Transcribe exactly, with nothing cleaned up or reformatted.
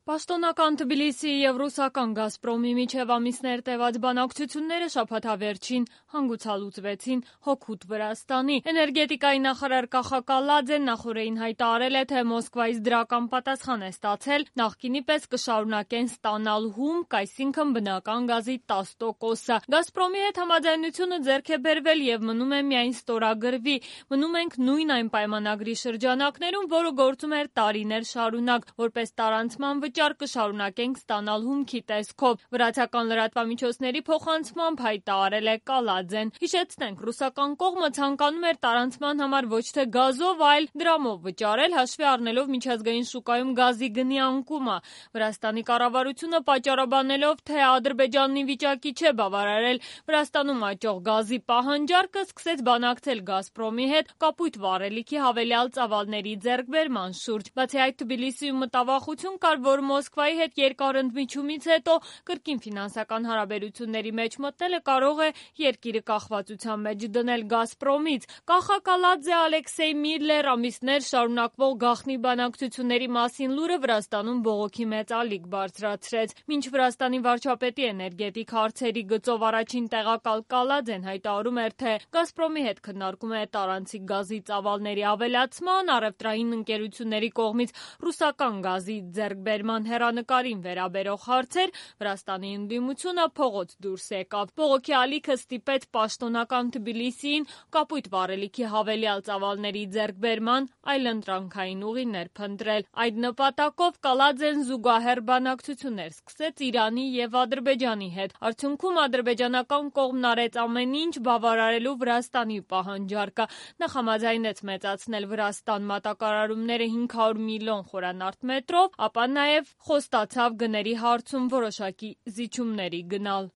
Պաշտոնական Թբիլիսիի և ռուսական «Գազպրոմի» միջև ամիսներ տևած բանակցությունները շաբաթավերջին հանգուցալուծվեցին հօգուտ Վրաստանի։ Էներգետիկայի նախարար Կախա Կալաձեն նախօրեին հայտարարել է, թե Մոսկվայից դրական պատասխան է ստացել, նախկինի պես կշարունակեն ստանալ հումք, այսինքն բնական գազի տասը տոկոսը։ «Գազպրոմի» հետ համաձայնությունը ձեռք է բերվել և մնում է միայն ստորագրվի։ Մնում ենք նույն այն պայմանագրի շրջանակներում, որը գործում էր տարիներ շարունակ, որպես տարանցման վճար կշարունակենք ստանալ հումքի տեսքով, վրացական լրատվամիջոցների փոխանցմամբ հայտարարել է Կալաձեն։ Հիշեցնենք, ռուսական կողմը ցանկանում էր տարանցման համար ոչ թե գազով, այլ դրամով վճարել, հաշվի առնելով միջազգային շուկայում գազի գնի անկումը։ Վրաստանի կառավարությունը պատճառաբանելով, թե Ադրբեջանն ի վիճակի չէ բավարարել Վրաստանում աճող գազի պահանջարկը, սկսեց բանակցել «Գազպրոմի» հետ կապույտ վառելիքի հավելյալ ծավալների ձեռքբերման շուրջ։ Բացի այդ, Թբիլիսիում մտավախություն կար, որ Մոսկվայի հետ երկար ընդմիջումից հետո կրկին ֆինանսական հարաբերությունների մեջ մտնելը կարող է երկիրը կախվածության մեջ դնել «Գազպրոմից»։ Կախա Կալաձե, Ալեքսեյ Միլլեր ամիսներ շարունակվող գաղտնի բանակցությունների մասին լուրը Վրաստանում բողոքի մեծ ալիք բարձրացրեց։ Մինչ Վրաստանի վարչապետի էներգետիկ հարցերի գծով առաջին տեղակալ Կալաձեն հայտարարում էր, թե «Գազպրոմի» հետ քննարկում է տարանցիկ գազի ծավալների ավելացման, առևտրային ընկերությունների կողմից ռուսական գազի ձեռքբերման հեռանկարին վերաբերող հարցեր, Վրաստանի ընդդիմությունը փողոց դուրս եկավ։ Բողոքի ալիքը ստիպեց պաշտոնական Թբիլիսիին կապույտ վառելիքի հավելյալ ծավալների ձեռքբերման այլընտրանքային ուղիներ փնտրել։ Այդ նպատակով Կալաձեն զուգահեռ բանակցություններ սկսեց Իրանի և Ադրբեջանի հետ։ Արդյունքում ադրբեջանական կողմն արեց ամեն ինչ բավարարելու Վրաստանի պահանջարկը։ Նա համաձայնեց մեծացնել Վրաստան մատակարարումները հինգ հարյուր միլիոն խորանարդ մետրով, ապա նաև խոստացավ գների հարցում որոշակի զիջումների գնալ։